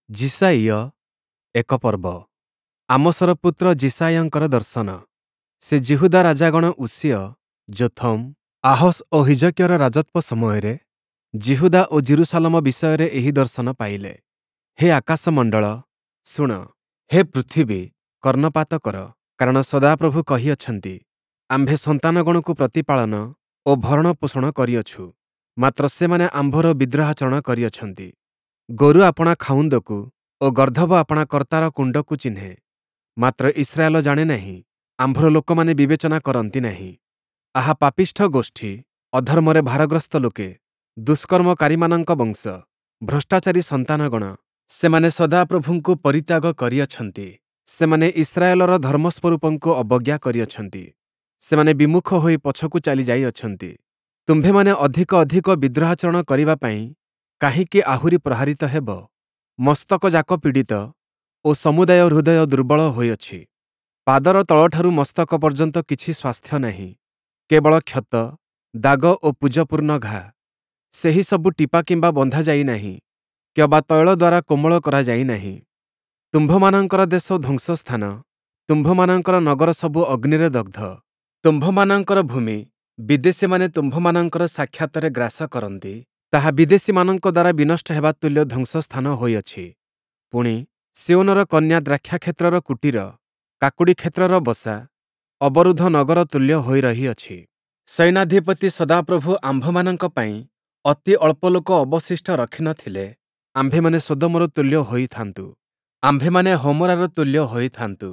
ଯିଶାଇୟ ଏକ ପର୍ବ। ଆମୋସର ପୁତ୍ର ଯିଶାଇୟଙ୍କର ଦର୍ଶନ। ସେ ଯିହୁଦା ରାଜାଗଣ ଉଷିୟ, ଯୋଥମ୍, ଆହସ୍ ଓ ହିଜକିୟର ରାଜତ୍ୱ ସମୟରେ ଯିହୁଦା ଓ ଯିରୂଶାଲମ ବିଷୟରେ ଏହି ଦର୍ଶନ ପାଇଲେ। ହେ ଆକାଶମଣ୍ଡଳ, ଶୁଣ, ହେ ପୃଥିବୀ, କର୍ଣ୍ଣପାତ କର, କାରଣ ସଦାପ୍ରଭୁ କହିଅଛନ୍ତି, ଆମ୍ଭେ ସନ୍ତାନଗଣକୁ ପ୍ରତିପାଳନ ଓ ଭରଣପୋଷଣ କରିଅଛୁ, ମାତ୍ର ସେମାନେ ଆମ୍ଭର ବିଦ୍ରୋହାଚରଣ କରିଅଛନ୍ତି। ଗୋରୁ ଆପଣା ଖାଉନ୍ଦକୁ ଓ ଗର୍ଦ୍ଦଭ ଆପଣା କର୍ତ୍ତାର କୁଣ୍ଡକୁ ଚିହ୍ନେ, ମାତ୍ର ଇସ୍ରାଏଲ ଜାଣେ ନାହିଁ, ଆମ୍ଭର ଲୋକମାନେ ବିବେଚନା କରନ୍ତି ନାହିଁ। ଆହା ପାପିଷ୍ଠ ଗୋଷ୍ଠୀ, ଅଧର୍ମରେ ଭାରଗ୍ରସ୍ତ ଲୋକେ, ଦୁଷ୍କର୍ମକାରୀମାନଙ୍କ ବଂଶ, ଭ୍ରଷ୍ଟାଚାରୀ ସନ୍ତାନଗଣ, ସେମାନେ ସଦାପ୍ରଭୁଙ୍କୁ ପରିତ୍ୟାଗ କରିଅଛନ୍ତି, ସେମାନେ ଇସ୍ରାଏଲର ଧର୍ମସ୍ୱରୂପଙ୍କୁ ଅବଜ୍ଞା କରିଅଛନ୍ତି, ସେମାନେ ବିମୁଖ ହୋଇ ପଛକୁ ଚାଲି ଯାଇଅଛନ୍ତି। ତୁମ୍ଭେମାନେ ଅଧିକ ଅଧିକ ବିଦ୍ରୋହାଚରଣ କରିବା ପାଇଁ କାହିଁକି ଆହୁରି ପ୍ରହାରିତ ହେବ? ମସ୍ତକଯାକ ପୀଡ଼ିତ ଓ ସମୁଦାୟ ହୃଦୟ ଦୁର୍ବଳ ହୋଇଅଛି। ପାଦର ତଳଠାରୁ ମସ୍ତକ ପର୍ଯ୍ୟନ୍ତ କିଛି ସ୍ୱାସ୍ଥ୍ୟ ନାହିଁ, କେବଳ କ୍ଷତ, ଦାଗ ଓ ପୂଜପୂର୍ଣ୍ଣ ଘା। ସେହି ସବୁ ଟିପା କିମ୍ବା ବନ୍ଧା ଯାଇନାହିଁ କିମ୍ବା ତୈଳ ଦ୍ୱାରା କୋମଳ କରାଯାଇ ନାହିଁ। ତୁମ୍ଭମାନଙ୍କର ଦେଶ ଧ୍ୱଂସସ୍ଥାନ, ତୁମ୍ଭମାନଙ୍କର ନଗର ସବୁ ଅଗ୍ନିରେ ଦଗ୍ଧ। ତୁମ୍ଭମାନଙ୍କର ଭୂମି ବିଦେଶୀମାନେ ତୁମ୍ଭମାନଙ୍କର ସାକ୍ଷାତରେ ଗ୍ରାସ କରନ୍ତି, ତାହା ବିଦେଶୀମାନଙ୍କ ଦ୍ୱାରା ବିନଷ୍ଟ ହେବା ତୁଲ୍ୟ ଧ୍ୱଂସସ୍ଥାନ ହୋଇଅଛି। ପୁଣି, ସିୟୋନର କନ୍ୟା ଦ୍ରାକ୍ଷାକ୍ଷେତ୍ରର କୁଟୀର, କାକୁଡ଼ି କ୍ଷେତ୍ରର ବସା, ଅବରୁଦ୍ଧ ନଗର ତୁଲ୍ୟ ହୋଇ ରହିଅଛି। ସୈନ୍ୟାଧିପତି ସଦାପ୍ରଭୁ ଆମ୍ଭମାନଙ୍କ ପାଇଁ ଅତି ଅଳ୍ପ ଲୋକ ଅବଶିଷ୍ଟ ରଖି ନ ଥିଲେ, ଆମ୍ଭେମାନେ ସଦୋମର ତୁଲ୍ୟ ହୋଇଥାନ୍ତୁ, ଆମ୍ଭେମାନେ ହୋମରାର ତୁଲ୍ୟ ହୋଇଥାନ୍ତୁ।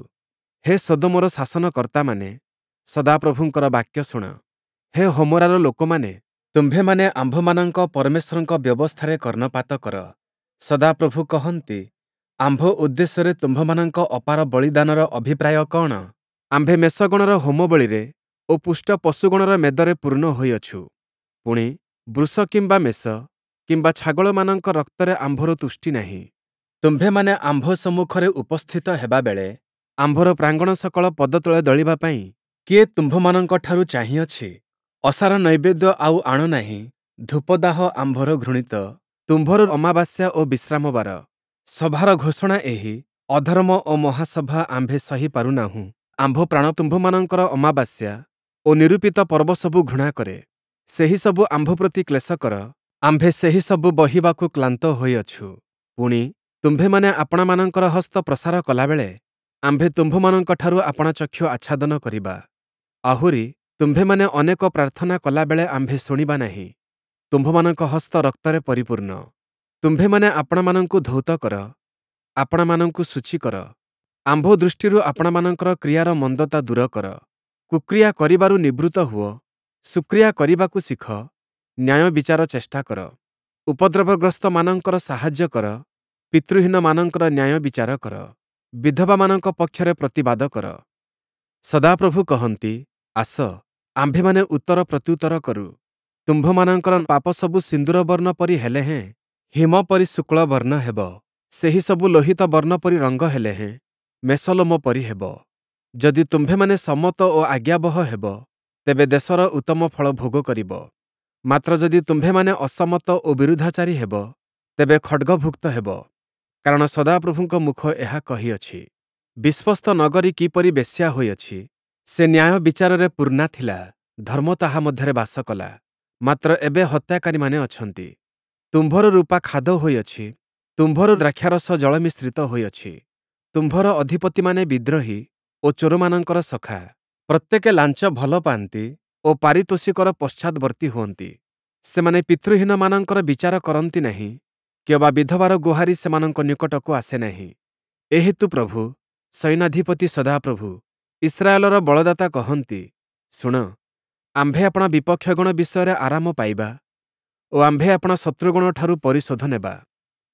ହେ ସଦୋମର ଶାସନକର୍ତ୍ତାମାନେ, ସଦାପ୍ରଭୁଙ୍କର ବାକ୍ୟ ଶୁଣ। ହେ ହୋମରାର ଲୋକମାନେ, ତୁମ୍ଭେମାନେ ଆମ୍ଭମାନଙ୍କ ପରମେଶ୍ୱରଙ୍କ ବ୍ୟବସ୍ଥାରେ କର୍ଣ୍ଣପାତ କର। ସଦାପ୍ରଭୁ କହନ୍ତି, ଆମ୍ଭ ଉଦ୍ଦେଶ୍ୟରେ ତୁମ୍ଭମାନଙ୍କ ଅପାର ବଳିଦାନର ଅଭିପ୍ରାୟ କଅଣ? ଆମ୍ଭେ ମେଷଗଣର ହୋମବଳିରେ ଓ ପୁଷ୍ଟ ପଶୁଗଣର ମେଦରେ ପୂର୍ଣ୍ଣ ହୋଇଅଛୁ। ପୁଣି, ବୃଷ କିମ୍ବା ମେଷ କିମ୍ବା ଛାଗଳମାନଙ୍କ ରକ୍ତରେ ଆମ୍ଭର ତୁଷ୍ଟି ନାହିଁ। ତୁମ୍ଭେମାନେ ଆମ୍ଭ ସମ୍ମୁଖରେ ଉପସ୍ଥିତ ହେବାବେଳେ ଆମ୍ଭର ପ୍ରାଙ୍ଗଣ ସକଳ ପଦତଳେ ଦଳିବା ପାଇଁ କିଏ ତୁମ୍ଭମାନଙ୍କଠାରୁ ଚାହିଁଅଛି? ଅସାର ନୈବେଦ୍ୟ ଆଉ ଆଣ ନାହିଁ, ଧୂପଦାହ ଆମ୍ଭର ଘୃଣିତ। ତୁମ୍ଭର ଅମାବାସ୍ୟା ଓ ବିଶ୍ରାମବାର, ସଭାର ଘୋଷଣା ଏହି, ଅଧର୍ମ ଓ ମହାସଭା ଆମ୍ଭେ ସହି ପାରୁନାହୁଁ। ଆମ୍ଭ ପ୍ରାଣ ତୁମ୍ଭମାନଙ୍କର ଅମାବାସ୍ୟା ଓ ନିରୂପିତ ପର୍ବ ସବୁ ଘୃଣା କରେ। ସେହିସବୁ ଆମ୍ଭ ପ୍ରତି କ୍ଲେଶକର, ଆମ୍ଭେ ସେହିସବୁ ବହିବାକୁ କ୍ଳାନ୍ତ ହୋଇଅଛୁ। ପୁଣି, ତୁମ୍ଭେମାନେ ଆପଣାମାନଙ୍କର ହସ୍ତ ପ୍ରସାର କଲାବେଳେ ଆମ୍ଭେ ତୁମ୍ଭମାନଙ୍କଠାରୁ ଆପଣା ଚକ୍ଷୁ ଆଚ୍ଛାଦନ କରିବା। ଆହୁରି, ତୁମ୍ଭେମାନେ ଅନେକ ପ୍ରାର୍ଥନା କଲାବେଳେ ଆମ୍ଭେ ଶୁଣିବା ନାହିଁ। ତୁମ୍ଭମାନଙ୍କ ହସ୍ତ ରକ୍ତରେ ପରିପୂର୍ଣ୍ଣ। ତୁମ୍ଭେମାନେ ଆପଣାମାନଙ୍କୁ ଧୌତ କର, ଆପଣାମାନଙ୍କୁ ଶୁଚି କର। ଆମ୍ଭ ଦୃଷ୍ଟିରୁ ଆପଣାମାନଙ୍କର କ୍ରିୟାର ମନ୍ଦତା ଦୂର କର। କୁକ୍ରିୟା କରିବାରୁ ନିବୃତ୍ତ ହୁଅ, ସୁକ୍ରିୟା କରିବାକୁ ଶିଖ, ନ୍ୟାୟ ବିଚାର ଚେଷ୍ଟା କର। ଉପଦ୍ରବଗ୍ରସ୍ତମାନଙ୍କର ସାହାଯ୍ୟ କର, ପିତୃହୀନମାନଙ୍କର ନ୍ୟାୟ ବିଚାର କର, ବିଧବାମାନଙ୍କ ପକ୍ଷରେ ପ୍ରତିବାଦ କର। ସଦାପ୍ରଭୁ କହନ୍ତି, ଆସ, ଆମ୍ଭେମାନେ ଉତ୍ତର ପ୍ରତ୍ୟୁତ୍ତର କରୁ। ତୁମ୍ଭମାନଙ୍କର ପାପ ସବୁ ସିନ୍ଦୂର ବର୍ଣ୍ଣ ପରି ହେଲେ ହେଁ ହିମ ପରି ଶୁକ୍ଳ ବର୍ଣ୍ଣ ହେବ। ସେହିସବୁ ଲୋହିତ ବର୍ଣ୍ଣ ପରି ରଙ୍ଗ ହେଲେ ହେଁ ମେଷଲୋମ ପରି ହେବ। ଯଦି ତୁମ୍ଭେମାନେ ସମ୍ମତ ଓ ଆଜ୍ଞାବହ ହେବ, ତେବେ ଦେଶର ଉତ୍ତମ ଫଳ ଭୋଗ କରିବ। ମାତ୍ର ଯଦି ତୁମ୍ଭେମାନେ ଅସମ୍ମତ ଓ ବିରୁଦ୍ଧାଚାରୀ ହେବ, ତେବେ ଖଡ଼୍ଗଭୁକ୍ତ ହେବ। କାରଣ ସଦାପ୍ରଭୁଙ୍କ ମୁଖ ଏହା କହିଅଛି। ବିଶ୍ୱସ୍ତ ନଗରୀ କିପରି ବେଶ୍ୟା ହୋଇଅଛି! ସେ ନ୍ୟାୟ ବିଚାରରେ ପୂର୍ଣ୍ଣା ଥିଲା, ଧର୍ମ ତାହା ମଧ୍ୟରେ ବାସ କଲା, ମାତ୍ର ଏବେ ହତ୍ୟାକାରୀମାନେ ଅଛନ୍ତି। ତୁମ୍ଭର ରୂପା ଖାଦ ହୋଇଅଛି, ତୁମ୍ଭର ଦ୍ରାକ୍ଷାରସ ଜଳମିଶ୍ରିତ ହୋଇଅଛି। ତୁମ୍ଭର ଅଧିପତିମାନେ ବିଦ୍ରୋହୀ ଓ ଚୋରମାନଙ୍କର ସଖା। ପ୍ରତ୍ୟେକେ ଲାଞ୍ଚ ଭଲ ପାଆନ୍ତି ଓ ପାରିତୋଷିକର ପଶ୍ଚାତ୍‌ବର୍ତ୍ତୀ ହୁଅନ୍ତି। ସେମାନେ ପିତୃହୀନମାନଙ୍କର ବିଚାର କରନ୍ତି ନାହିଁ, କିମ୍ବା ବିଧବାର ଗୁହାରି ସେମାନଙ୍କ ନିକଟକୁ ଆସେ ନାହିଁ। ଏହେତୁ ପ୍ରଭୁ, ସୈନ୍ୟାଧିପତି ସଦାପ୍ରଭୁ, ଇସ୍ରାଏଲର ବଳଦାତା କହନ୍ତି, ଶୁଣ, ଆମ୍ଭେ ଆପଣା ବିପକ୍ଷଗଣ ବିଷୟରେ ଆରାମ ପାଇବା ଓ ଆମ୍ଭେ ଆପଣା ଶତ୍ରୁଗଣଠାରୁ ପରିଶୋଧ ନେବା।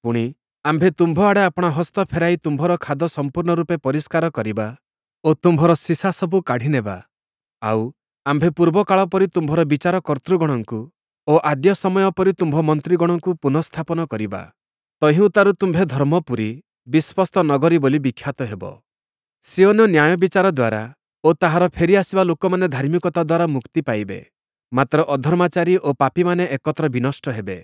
ପୁଣି, ଆମ୍ଭେ ତୁମ୍ଭ ଆଡ଼େ ଆପଣା ହସ୍ତ ଫେରାଇ ତୁମ୍ଭର ଖାଦ ସମ୍ପୂର୍ଣ୍ଣ ରୂପେ ପରିଷ୍କାର କରିବା ଓ ତୁମ୍ଭର ସୀସା ସବୁ କାଢ଼ି ନେବା। ଆଉ, ଆମ୍ଭେ ପୂର୍ବକାଳ ପରି ତୁମ୍ଭର ବିଚାର କର୍ତ୍ତୃଗଣଙ୍କୁ ଓ ଆଦ୍ୟ ସମୟ ପରି ତୁମ୍ଭ ମନ୍ତ୍ରୀଗଣଙ୍କୁ ପୁନଃସ୍ଥାପନ କରିବା। ତହିଁଉତ୍ତାରୁ ତୁମ୍ଭେ ଧର୍ମପୁରୀ, ବିଶ୍ୱସ୍ତ ନଗରୀ ବୋଲି ବିଖ୍ୟାତ ହେବ। ସିୟୋନ ନ୍ୟାୟ ବିଚାର ଦ୍ୱାରା ଓ ତାହାର ଫେରିଆସିବା ଲୋକମାନେ ଧାର୍ମିକତା ଦ୍ୱାରା ମୁକ୍ତି ପାଇବେ। ମାତ୍ର ଅଧର୍ମାଚାରୀ ଓ ପାପୀମାନେ ଏକତ୍ର ବିନଷ୍ଟ ହେବେ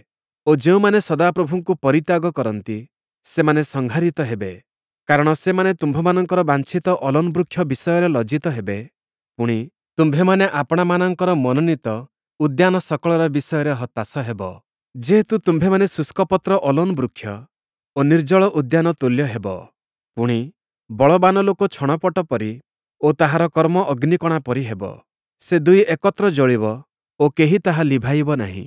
ଓ ଯେଉଁମାନେ ସଦାପ୍ରଭୁଙ୍କୁ ପରିତ୍ୟାଗ କରନ୍ତି, ସେମାନେ ସଂହାରିତ ହେବେ। କାରଣ ସେମାନେ ତୁମ୍ଭମାନଙ୍କର ବାଞ୍ଛିତ ଅଲୋନ୍ ବୃକ୍ଷ ବିଷୟରେ ଲଜ୍ଜିତ ହେବେ, ପୁଣି, ତୁମ୍ଭେମାନେ ଆପଣାମାନଙ୍କର ମନୋନୀତ ଉଦ୍ୟାନ ସକଳର ବିଷୟରେ ହତାଶ ହେବ। ଯେହେତୁ ତୁମ୍ଭେମାନେ ଶୁଷ୍କପତ୍ର ଅଲୋନ୍ ବୃକ୍ଷ ଓ ନିର୍ଜଳ ଉଦ୍ୟାନ ତୁଲ୍ୟ ହେବ। ପୁଣି, ବଳବାନ ଲୋକ ଛଣପଟ ପରି ଓ ତାହାର କର୍ମ ଅଗ୍ନିକଣା ପରି ହେବ। ସେ ଦୁଇ ଏକତ୍ର ଜଳିବ ଓ କେହି ତାହା ଲିଭାଇବ ନାହିଁ।